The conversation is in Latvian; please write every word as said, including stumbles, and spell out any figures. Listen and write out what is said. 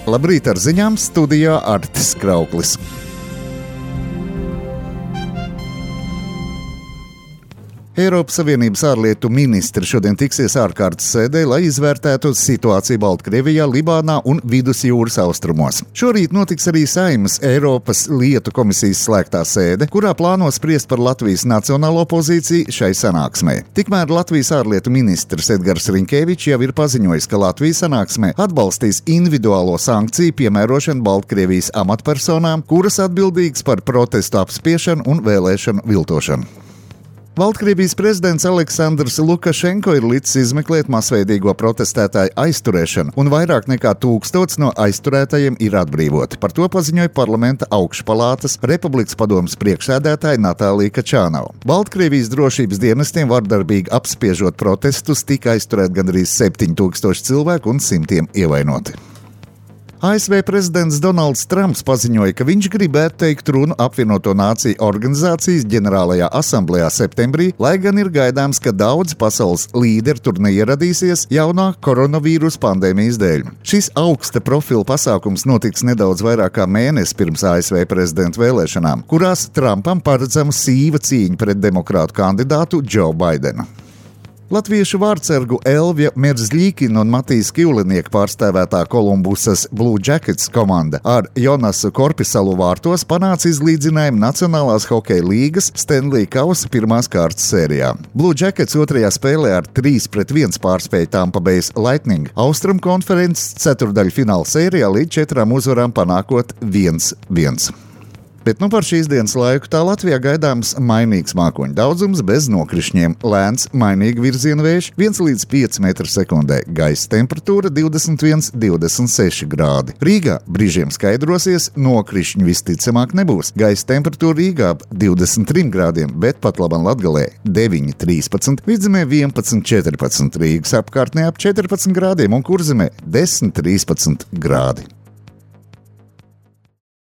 Labrīt ar ziņām, studijā Artis Krauklis. Eiropas Savienības ārlietu ministri šodien tiksies ārkārtas sēdē, lai izvērtētu situāciju Baltkrievijā, Libānā un Vidusjūras austrumos. Šorīt notiks arī Saeimas Eiropas lietu komisijas slēgtā sēde, kurā plāno spriest par Latvijas nacionālo pozīciju šai sanāksmē. Tikmēr Latvijas ārlietu ministrs Edgars Riņkevičs jau ir paziņojis, ka Latvija sanāksmē atbalstīs individuālo sankciju piemērošanu Baltkrievijas amatpersonām, kuras atbildīgas par protestu apspiešanu un vēlēšanu viltošanu. Baltkrievijas prezidents Aleksandrs Lukašenko ir licis izmeklēt masveidīgo protestētāju aizturēšanu, un vairāk nekā tūkstots no aizturētajiem ir atbrīvoti. Par to paziņoja parlamenta augšpalātas Republikas padomes priekšsēdētāja Natālija Kačānova. Baltkrievijas drošības dienestiem vardarbīgi apspiežot protestus tika aizturēt gandrīz septiņi tūkstoši cilvēku un simtiem ievainoti. A S V prezidents Donalds Trumps paziņoja, ka viņš gribētu teikt runu apvienoto nāciju organizācijas ģenerālajā asamblējā septembrī, lai gan ir gaidāms, ka daudz pasaules līderi tur neieradīsies jaunā koronavīrusa pandēmijas dēļ. Šis augsta profila pasākums notiks nedaudz vairāk kā mēnesi pirms A S V prezidenta vēlēšanām, kurās Trumpam paredzama sīva cīņa pret demokrātu kandidātu Džo Baidenu. Latviešu vārdsargu Elvija Merzļīkina un Matīs Kivlinieka pārstāvētā Kolumbusas Blue Jackets komanda ar Jonasu Korpisalu vārtos panāca izlīdzinājumu Nacionālās hokeja līgas Stanley Kausa pirmās kārtas sērijā. Blue Jackets otrajā spēlē ar trīs pret viens pārspēja Tampa Bay Lightning Austrum konferences ceturdaļfināla sērijā līdz četrām uzvarām panākot viens viens. Bet nu par šīs dienas laiku tā Latvijā gaidāms mainīgs mākoņu daudzums bez nokrišņiem, lēns mainīgi virziena vējš viens līdz pieci metri sekundē, gaisa temperatūra divdesmit viens līdz divdesmit seši grādi. Rīgā brīžiem skaidrosies, nokrišņu visticamāk nebūs. Gaisa temperatūra Rīgā divdesmit trim grādiem, bet pat labam Latgalē deviņi trīspadsmit, Vidzemē vienpadsmit četrpadsmit, Rīgas apkārtnē ap četrpadsmit grādiem un Kurzemē desmit trīspadsmit grādi.